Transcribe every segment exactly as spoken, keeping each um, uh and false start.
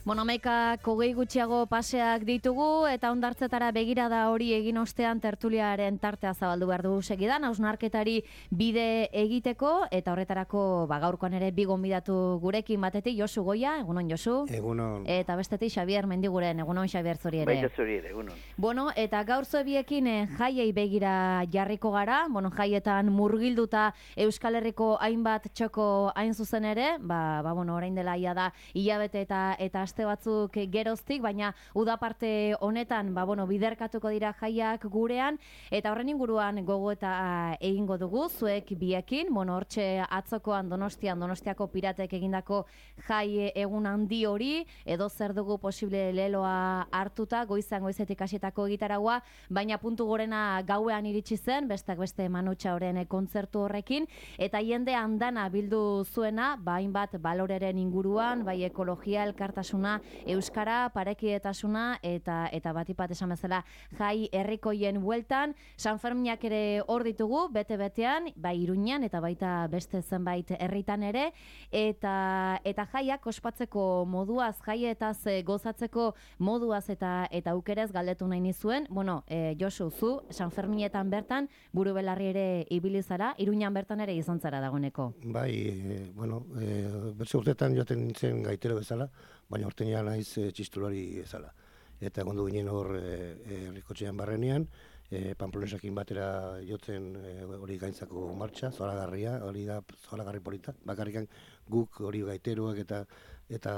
Bueno, hamaikak hogei gutxiago paseak ditugu eta hondartzetara begirada hori egin ostean tertuliaren tartea zabaldu behar du segidan, hausnarketari bide egiteko eta horretarako ba, gaurkoan ere bi gonbidatu gurekin batetik Josu Goia, egunon Josu. Egunon. Eta bestetik Xabier Mendiguren, egunon Xabier zuri ere. Baita zuri ere, egunon. Bueno, eta gaur zuebiekin eh, jaiei begira jarriko gara, bueno, jaietan murgilduta Euskal Herriko hainbat txoko hain zuzen ere, ba, ba bueno, orain dela ia da hilabete eta eta aste batzuk geroztik, baina udaparte honetan, ba bueno, biderkatuko dira jaiak gurean eta horren inguruan gogo eta egingo dugu zuek biekin. Bueno, hortxe atzokoan Donostian, Donostiako piratek egindako jai egun handi hori, edo zer dugu posible leloa hartuta, goizan goizetik hasietako gitaragua, baina puntu gorena gauean iritsi zen, bestak beste Manutxa Oren kontzertu horrekin, eta jende andana bildu zuena, ba hainbat baloreren inguruan, bai ekologia, elkartasuna, euskara, parekietasuna eta eta batipat esan bezala jai herrikoien bueltan. San Ferminak ere hor ditugu bete-betean, bai Iruñan eta baita beste zenbait herritan ere, eta eta jaiak ospatzeko moduaz, jaietaz gozatzeko moduaz eta eta aukerez galdetu nahi nizuen. Bueno, e, Josu, zu San Ferminetan bertan buru belarri ere ibili zara, Iruñan bertan ere izan zara dagoeneko. Bai, e, bueno, e, bertze urtetan joaten nintzen gaitero bezala, baina hortenean naiz e, txistulari bezala. Eta gondu ginen hor herrikotxean e, barrenean, e, Pamplonesakin batera jotzen e, hori gaintzako martxa, zoragarria, hori da zoragarri polita. Bakarrikan guk hori gaiteroak eta eta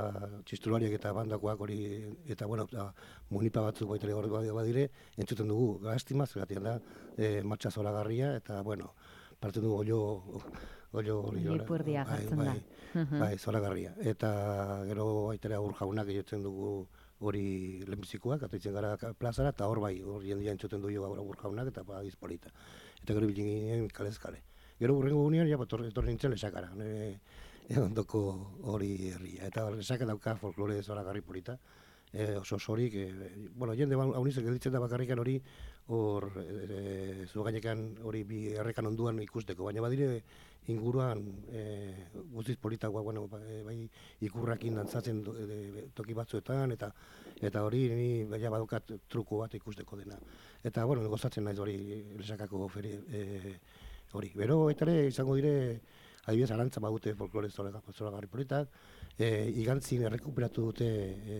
txistulariak eta bandakoak hori, eta bueno, da, munipa batzuk baitere hori badire, entzuten dugu gaztima, zergatian da, e, martxa zoragarria, eta bueno, parte dugu olio, olio hori. Lipurdia jartzen bai, da. Bai, bai, zoragarria. Eta gero baitere aur jaunak jotzen dugu hori lehenbizikoak, ataitzen gara plazara, eta hor bai, hor jendia entzuten du jo aur jaunak, eta ba, izpolita. Eta gero bilin ginen kalezkale. Gero urrengo gunean, ja, etorri nintzen lesakara, nire ondoko hori herria. Eta lesaka dauka folklore zoragarri polita. E, oso osorik, e, bueno, jende haunizek editzen da bakarrikan hori hor e, zugainekan hori bi errekan onduan ikusteko, baina badire inguruan e, guztiz politagoa, bueno, bai ikurrakin dantzatzen e, toki batzuetan, eta eta hori ni baina badokat truko bat ikusteko dena. Eta, bueno, gozatzen naiz hori lesakako feri e, hori. Bero, eta ere izango dire, adibidez, arantza badute folklore zoragarri politak, e, igantzin errekuperatu dute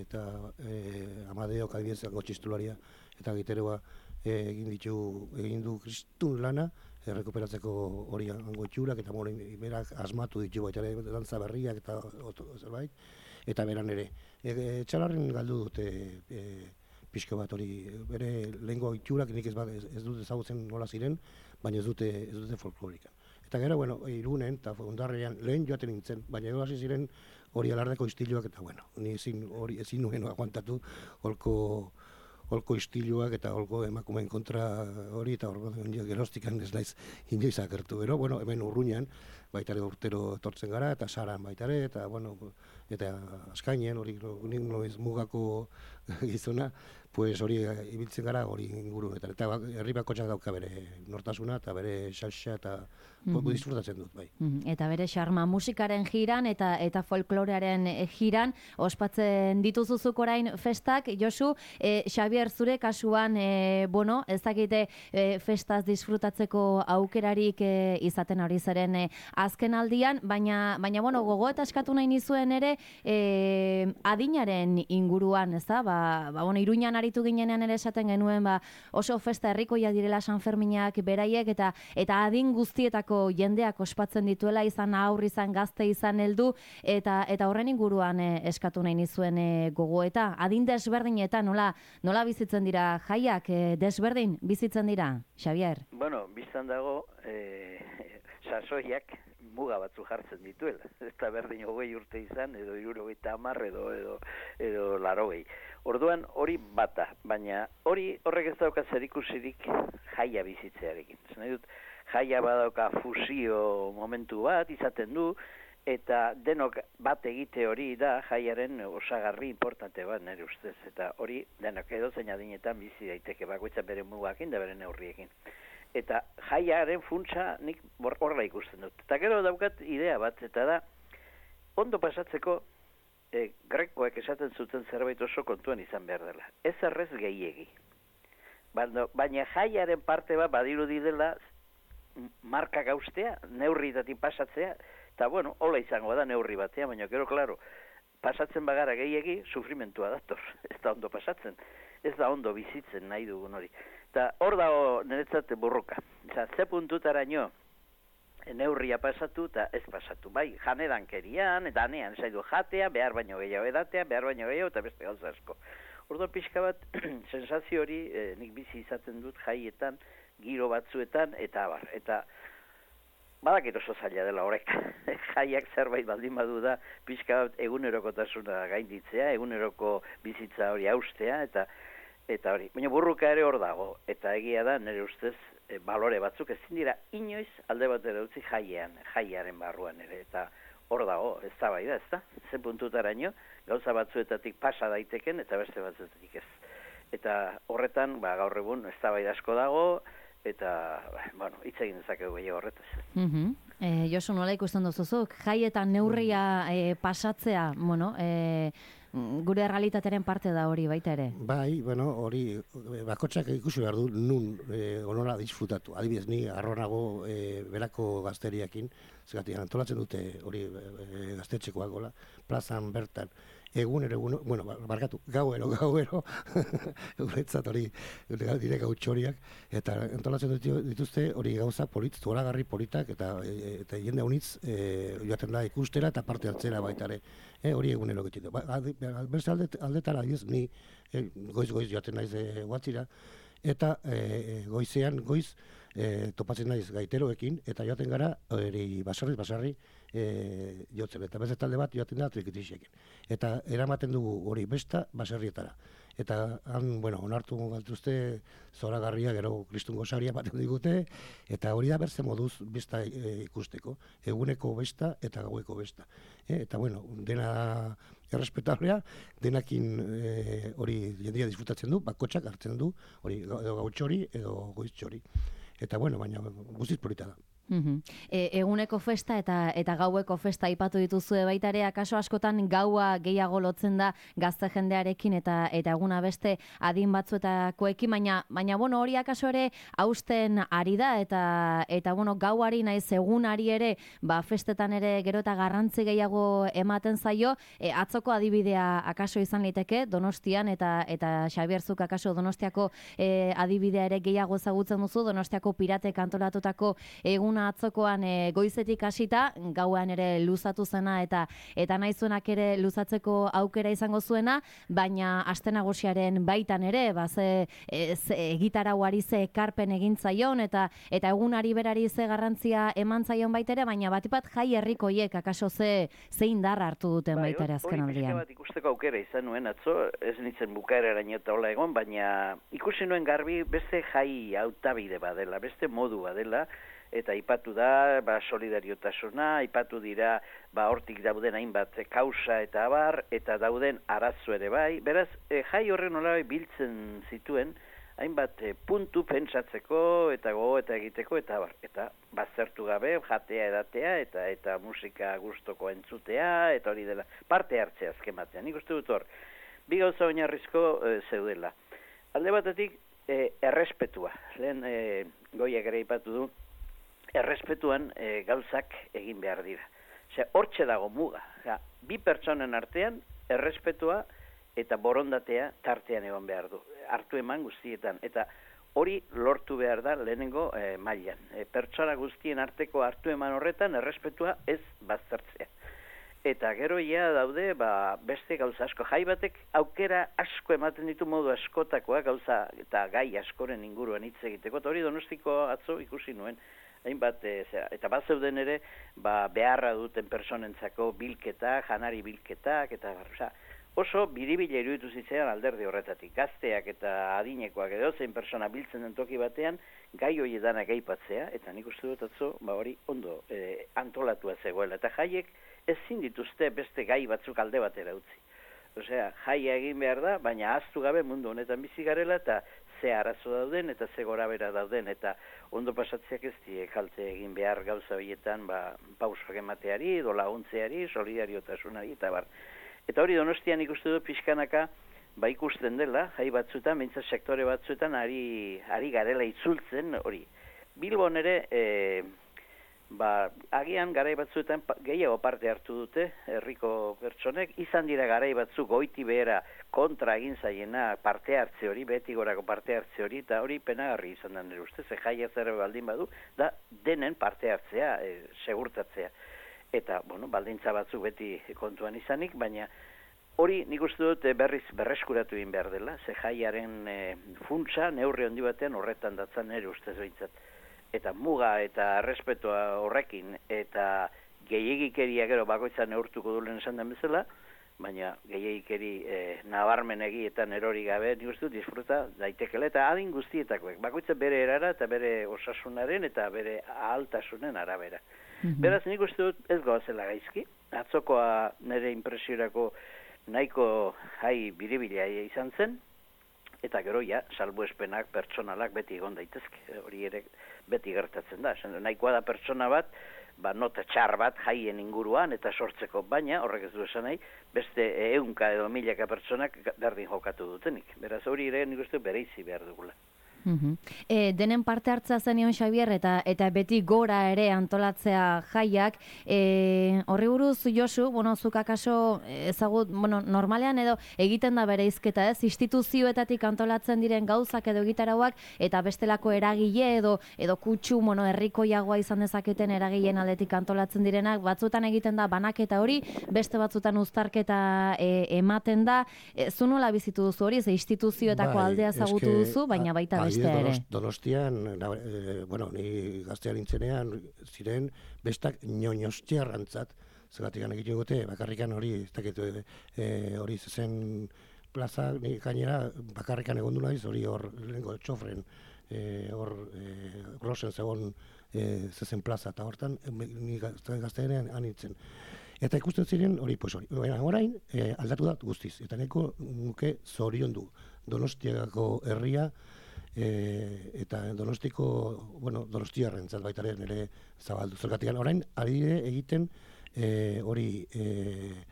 eta e, Amadeok adibidez txistularia eta giteroa e, egin ditu, egin du kristun lana errekuperatzeko hori hango itxurak, eta moren berak asmatu ditu baita ere dantza berriak eta oto, zerbait, eta beran ere. E, txalarren galdu dute e, pixko bat hori, bere lehengo itxurak nik ez, ez, ez dute ezagutzen nola ziren, baina ez dute, ez dute folklorika. Eta gero, bueno, Irunen eta Hondarrian lehen joaten nintzen, baina gero hasi ziren hori alardeko istiluak, eta bueno, ni ezin hori ezin nuen aguantatu holko holko istiluak eta holko emakumeen kontra hori, eta holko gerostikan ez naiz inoiz agertu. Gero, bueno, hemen Urruñan baitare urtero etortzen gara, eta Saran baitare, eta bueno, eta Askainen hori nik noiz mugako gizona, pues hori ibiltzen gara hori ingurunetan. Eta herri bakotxak dauka bere nortasuna eta bere xalxa eta mm-hmm. disfrutatzen dut, bai. Mm-hmm. Eta bere xarma musikaren jiran eta eta folklorearen jiran ospatzen dituzuzuk orain festak. Josu, e, Xabier, zure kasuan, e, bueno, ez dakite e, festaz disfrutatzeko aukerarik e, izaten hori zeren e, azken aldian, baina, baina bueno, gogo eta eskatu nahi nizuen ere e, adinaren inguruan, ez da? Ba, ba, bueno, Iruñan aritu ginenean ere esaten genuen, ba, oso festa herrikoia direla San Ferminak beraiek, eta eta adin guztietako jendeak ospatzen dituela, izan aur, izan gazte, izan heldu, eta eta horren inguruan e, eskatu nahi nizuen e, gogoeta. Adin desberdinetan, nola, nola bizitzen dira jaiak, e, desberdin bizitzen dira, Xabier? Bueno, biztan dago, e, sasoiak muga batzu jartzen dituela. Ez da berdin hogei urte izan, edo hirurogeita hamar, edo, edo, edo larogei. Orduan hori bata, baina hori horrek ez dauka zerikusirik jaia bizitzearekin. Ez nahi dut, jaia badauka fusio momentu bat izaten du, eta denok bat egite hori da jaiaren osagarri importante bat nire ustez. Eta hori denok edo zein adinetan bizi daiteke bakoitza bere mugakin da bere neurriekin. Eta jaiaren funtsa nik horrela ikusten dut. Eta gero daukat idea bat, eta da, ondo pasatzeko e, grekoek esaten zuten zerbait oso kontuan izan behar dela. Ez errez gehiegi. Baina, baina jaiaren parte bat badirudi dela marka gauztea, neurritatik pasatzea, eta bueno, hola izango da neurri batea, baina gero, klaro, pasatzen bagara gehiegi, sufrimentua dator, ez da ondo pasatzen, ez da ondo bizitzen nahi dugun hori. Eta hor dago niretzat burruka, Oza, ze puntutaraino neurria pasatu eta ez pasatu, bai, janerankerian, danean, zaidu jatea, behar baino gehiago edatea, behar baino gehiago eta beste gauza asko. Orduan pixka bat, sensazio hori eh, nik bizi izaten dut jaietan, giro batzuetan, eta abar. Eta badakit oso zaila dela horrek. Jaiak zerbait baldin badu da, pixka bat egunerokotasuna gainditzea, eguneroko bizitza hori haustea, eta eta hori. Baina burruka ere hor dago, eta egia da, nire ustez, e, balore batzuk ezin dira inoiz alde batera utzi jaiean, jaiaren barruan ere, eta hor dago, ez da bai da, ez da? Ze puntutaraino, gauza batzuetatik pasa daiteken, eta beste batzuetatik ez. Eta horretan, ba, gaur egun, ez da bai asko dago, eta, bueno, hitz egin dezakegu gehiago horretaz. Mm-hmm. E, Josu, nola ikusten duzuzuk? Jaietan neurria e, pasatzea, bueno, e, gure realitatearen parte da hori baita ere. Bai, bueno, hori bakotxak ikusi behar du nun e, onola disfrutatu. Adibidez, ni arronago e, berako gazteriakin, zergatik antolatzen dute hori e, gaztetxekoak gola, plazan bertan, egunero, egun, bueno, barkatu, gauero, gauero, guretzat hori dire gautxoriak, eta antolatzen dituzte hori gauza polit, zoragarri politak, eta, e, eta jende honitz e, joaten da ikustera eta parte hartzera baita ere. E, hori egunero getxetu. Ba, beste aldet, aldetara, ez, ni e, goiz-goiz joaten naiz e, guatzira, eta e, goizean, goiz, e, topatzen naiz gaiteroekin, eta joaten gara, hori basarri, basarri, e, jotzen, eta beste talde bat joaten da trikitixekin. Eta eramaten dugu hori besta baserrietara. Eta han, bueno, onartu galtuzte zoragarria, gero kristun gozaria baten digute, eta hori da berze moduz besta e, ikusteko, eguneko besta eta gaueko besta. E, eta, bueno, dena errespetablea, denakin e, hori jendia disfrutatzen du, bakotxak hartzen du, hori edo gautxori edo goiztxori. Eta, bueno, baina guztiz polita da. Mm-hmm. E, eguneko festa eta eta gaueko festa aipatu dituzue baita ere, akaso askotan gaua gehiago lotzen da gazte jendearekin eta eta eguna beste adin batzuetakoekin, baina baina bueno, hori akaso ere hausten ari da eta eta bueno, gauari naiz egunari ere, ba festetan ere gero eta garrantzi gehiago ematen zaio. E, atzoko adibidea akaso izan liteke Donostian eta eta Xabierzuk akaso Donostiako e, adibidea ere gehiago ezagutzen duzu, Donostiako piratek antolatutako egun atzokoan e, goizetik hasita, gauan ere luzatu zena eta eta naizuenak ere luzatzeko aukera izango zuena, baina aste nagusiaren baitan ere, ba ze, e, ze gitarauari ze ekarpen egin zaion eta eta egunari berari ze garrantzia eman zaion baita ere, baina batipat jai herrikoiek akaso ze ze indarra hartu duten bai, baita ere azken aldian. Hori bat ikusteko aukera izan nuen atzo, ez nintzen bukaeraraino eta hola egon, baina ikusi nuen garbi beste jai hautabide badela, beste modu badela, eta aipatu da, ba, solidariotasuna, aipatu dira, ba, hortik dauden hainbat kausa eta abar, eta dauden arazo ere bai. Beraz, e, jai horren nola biltzen zituen, hainbat e, puntu pentsatzeko, eta gogo eta egiteko, eta abar. Eta baztertu gabe, jatea edatea, eta eta musika gustoko entzutea, eta hori dela, parte hartzea azken batean. Nik uste dut hor, bi gauza oinarrizko e, zeudela. Alde batetik, e, errespetua. Lehen e, goiak ere aipatu du, errespetuan e, gauzak egin behar dira. Osea, hortxe dago muga. Osea, bi pertsonen artean errespetua eta borondatea tartean egon behar du. Hartu eman guztietan. Eta hori lortu behar da lehenengo e, mailan. E, pertsona guztien arteko hartu eman horretan errespetua ez baztertzea. Eta gero ja daude ba, beste gauza asko. Jai batek aukera asko ematen ditu modu askotakoa gauza eta gai askoren inguruan hitz egiteko. Eta hori Donostiko atzo ikusi nuen. Hainbat, e, zera, eta bat zeuden ere, ba, beharra duten personentzako bilketa, janari bilketak, eta oza, oso biribila iruditu zitzaidan alderdi horretatik. Gazteak eta adinekoak edo zein persona biltzen den toki batean, gai hori danak aipatzea, eta nik uste dut atzo, ba hori ondo e, antolatua zegoela. Eta jaiek ezin dituzte beste gai batzuk alde batera utzi. Osea, jaia egin behar da, baina ahaztu gabe mundu honetan bizi garela, eta ze arazo dauden eta ze gorabera dauden, eta ondo pasatzeak ez die kalte egin behar gauza horietan ba, pausak emateari, edo laguntzeari, solidariotasunari, eta bar. Eta hori Donostian ikustu dut pixkanaka, ba ikusten dela, jai batzuetan, mintzat sektore batzuetan, ari, ari garela itzultzen hori. Bilbon ere, e, ba, agian garai batzuetan gehiago parte hartu dute, herriko pertsonek, izan dira garai batzuk goiti behera kontra egin zaiena parte hartze hori, beti gorako parte hartze hori, eta hori penagarri izan da nire ustez, ze jaia zer baldin badu, da denen parte hartzea, e, segurtatzea. Eta, bueno, baldintza batzuk beti kontuan izanik, baina hori nik uste dut berriz berreskuratu egin behar dela, ze jaiaren e, funtsa neurri handi batean horretan datzan nire ustez behintzat. Eta muga eta errespetoa horrekin, eta gehiagikeria gero bakoitza neurtuko dulen esan den bezala, baina gehiagikeri e, nabarmen egietan erori gabe, nik uste dut disfruta daitekela, eta adin guztietakoek, bakoitza bere erara eta bere osasunaren eta bere ahaltasunen arabera. Mm-hmm. Beraz, nik uste dut ez goazela gaizki, atzokoa nire impresiorako nahiko jai biribila izan zen, eta gero ja, salbuespenak pertsonalak beti egon daitezke, hori ere beti gertatzen da. Nahikoa da pertsona bat, ba, nota txar bat jaien inguruan eta sortzeko, baina horrek ez du esan nahi, beste ehunka edo milaka pertsonak berdin jokatu dutenik. Beraz, hori ere nik uste bereizi behar dugula. Uh-huh. E, denen parte hartza zenion Xabier eta eta beti gora ere antolatzea jaiak, e, horri buruz Josu, bueno, zuk akaso ezagut, bueno, normalean edo egiten da bereizketa, ez? Instituzioetatik antolatzen diren gauzak edo egitarauak eta bestelako eragile edo edo kutsu, bueno, herrikoiagoa izan dezaketen eragileen aldetik antolatzen direnak, batzuetan egiten da banaketa hori, beste batzuetan uztarketa e, ematen da. E, zu nola bizitu duzu hori, ze instituzioetako bai, aldea ezagutu eske, duzu, baina baita beste. Donost, donostian, e, bueno, ni gaztean nintzenean ziren bestak ñoñostiarrantzat, zeratik egiten gote, bakarrikan hori, ez dakit, e, hori zezen plaza, ni gainera bakarrikan egon du naiz, hori hor, lehenko txofren, e, hor, e, grosen zegoen e, zezen plaza, eta hortan, ni gaztean anitzen. Eta ikusten ziren hori, pues hori, orain, e, aldatu da guztiz, eta neko nuke zorion du, Donostiako herria, E, eta Donostiko, bueno, Donostiarrentzat baitaren ere zabaldu. Zergatik orain ari egiten e, hori e,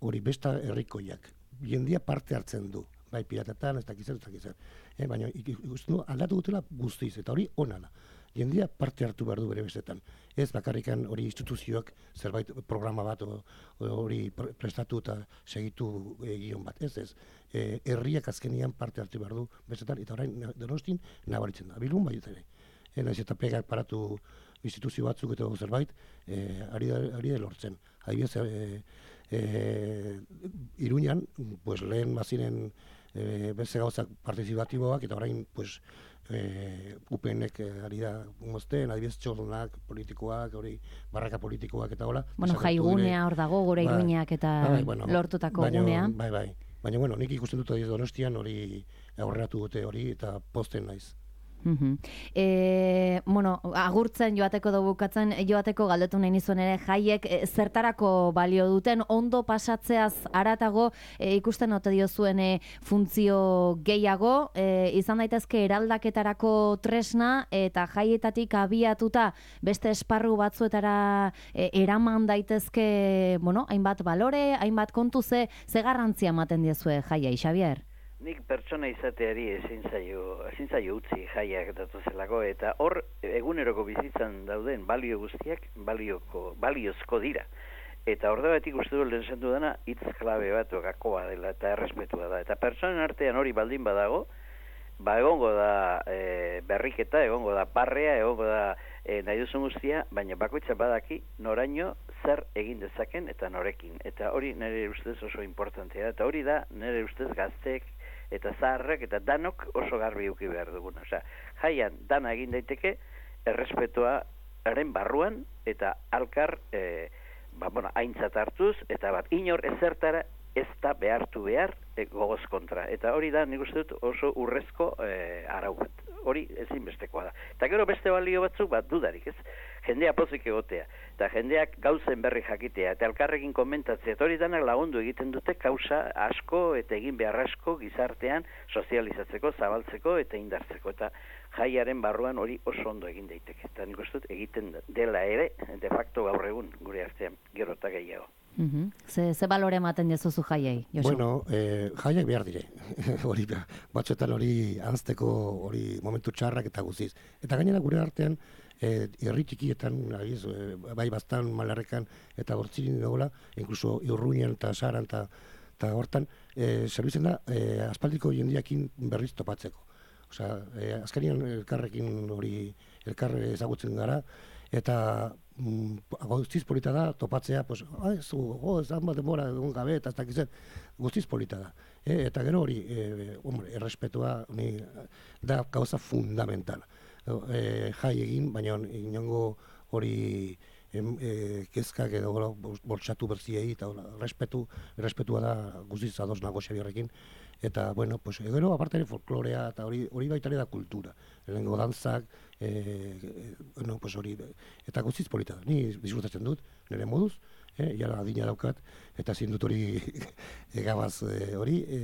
hori besta herrikoiak. Jendia parte hartzen du, bai piratetan, ez dakiz, ez dakiz. Eh, baina ikusten du aldatu dutela guztiz eta hori ona da. Jendia parte hartu behar du bere bestetan. Ez bakarrikan hori instituzioak zerbait programa bat hori prestatu eta segitu egion bat. Ez ez. E, herriak azkenian parte hartu behar du bestetan eta orain Donostin nabaritzen da. Bilbon bai ere. E, naiz eta pegak paratu instituzio batzuk eta zerbait e, ari da, ari da lortzen. Adibidez, e, e, Iruñan, pues, lehen baziren e, beste gauzak partizipatiboak eta orain pues, e, U P N-ek ari da mozten, adibidez txornak politikoak, hori barraka politikoak eta hola. Bueno, jaigunea hor dago gure ba, Iruñak eta bai, bueno, lortutako baino, gunea. Bai, bai. Baina, bueno, nik ikusten dut Donostian hori aurreratu dute hori eta posten naiz. Uh-huh. E, bueno, agurtzen joateko dugu bukatzen joateko galdetu nahi nizuen ere jaiek e, zertarako balio duten ondo pasatzeaz haratago e, ikusten ote diozuen e, funtzio gehiago e, izan daitezke eraldaketarako tresna eta jaietatik abiatuta beste esparru batzuetara e, eraman daitezke, bueno, hainbat balore, hainbat kontu ze, ze garrantzia ematen diezue jaiai, Xabier? Nik pertsona izateari ezin zaio, ezin zaio utzi jaiak datozelako, eta hor eguneroko bizitzan dauden balio guztiak balioko, baliozko dira. Eta hor da batik uste du lehen zentu dena hitz klabe bat gakoa dela eta errespetua da. Eta pertsonen artean hori baldin badago, ba egongo da e, berriketa, egongo da parrea, egongo da e, nahi duzun guztia, baina bakoitza badaki noraino zer egin dezaken eta norekin. Eta hori nire ustez oso importantea da. Eta hori da nire ustez gazteek eta zaharrek eta danok oso garbi eduki behar duguna. Osea, jaian dana egin daiteke errespetuaren barruan eta alkar e, ba, bueno, aintzat hartuz eta bat inor ezertara ez da behartu behar e, gogoz kontra. Eta hori da nik uste dut oso urrezko e, arau bat. Hori ezinbestekoa da. Eta gero beste balio batzuk bat dudarik, ez? Jendea pozik egotea, eta jendeak gauzen berri jakitea, eta elkarrekin komentatzea, eta hori danak lagundu egiten dute kausa asko eta egin behar asko gizartean sozializatzeko, zabaltzeko eta indartzeko. Eta jaiaren barruan hori oso ondo egin daiteke. Eta nik uste dut egiten dela ere, de facto gaur egun gure artean, gero eta gehiago. Mhm. Ze, ze balore ematen dezuzu jaiei, Josu? Bueno, eh, jaiak behar dire. Hori batzuetan hori anzteko hori momentu txarrak eta guziz. Eta gainera gure artean, eh, herri txikietan, agiz, eh, bai bastan, malarrekan eta hortzirin dagoela, inkluso Urruñan eta Saran eta eta hortan, eh, zerbitzen da, eh, aspaldiko jendiakin berriz topatzeko. Osea, eh, azkarian elkarrekin hori, elkar ezagutzen gara, eta mm, guztiz polita da topatzea, pues, ah, ez, oh, ez bat denbora egon gabe, eta ez dakizen, guztiz polita da. E, eta gero hori, e, hombre, errespetua ni, da gauza fundamentala. E, jai egin, baina inongo hori em, e, kezkak edo bortxatu berziei, eta respetu, respetua da guztiz ados nago Xabierrekin. Eta, bueno, pues, gero, aparte ere folklorea, eta hori, hori baita ere da kultura. Lehenengo dantzak, e, e, no, pues hori, eta guztiz polita da. Ni disfrutatzen dut, nire moduz, eh, jara adina daukat, eta zin dut hori egabaz e, hori e,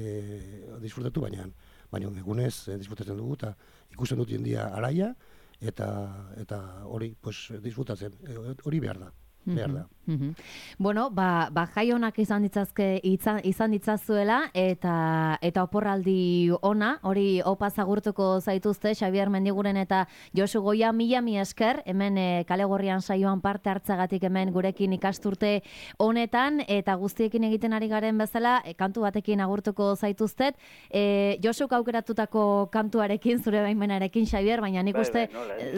disfrutatu, baina, baina egunez e, disfrutatzen dugu, eta ikusten dut jendia araia, eta eta hori, pues, disfrutatzen, e, hori behar da. Behar da. Mm-hmm. Bueno, ba, ba jai honak izan ditzazke izan, izan ditzazuela eta eta oporraldi ona, hori opa zagurtuko zaituzte Xabier Mendiguren eta Josu Goia, mila mi esker, hemen e, Kale Gorrian saioan parte hartzagatik hemen gurekin ikasturte honetan, eta guztiekin egiten ari garen bezala, e, kantu batekin agurtuko zaituztet, e, Josuk aukeratutako kantuarekin, zure baimenarekin Xabier, baina nik uste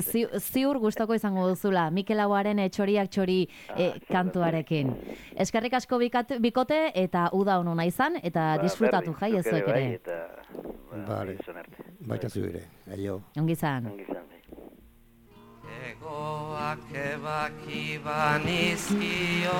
zi, ziur gustoko izango duzula, Mikel Auaren e, txoriak txori E, kantuarekin. Eskerrik asko bikat, bikote eta uda honuna izan eta ba, disfrutatu jai ez zuek ere. Vale. Baita zu ere. Aio. Ongi izan. Egoak ebaki banizkio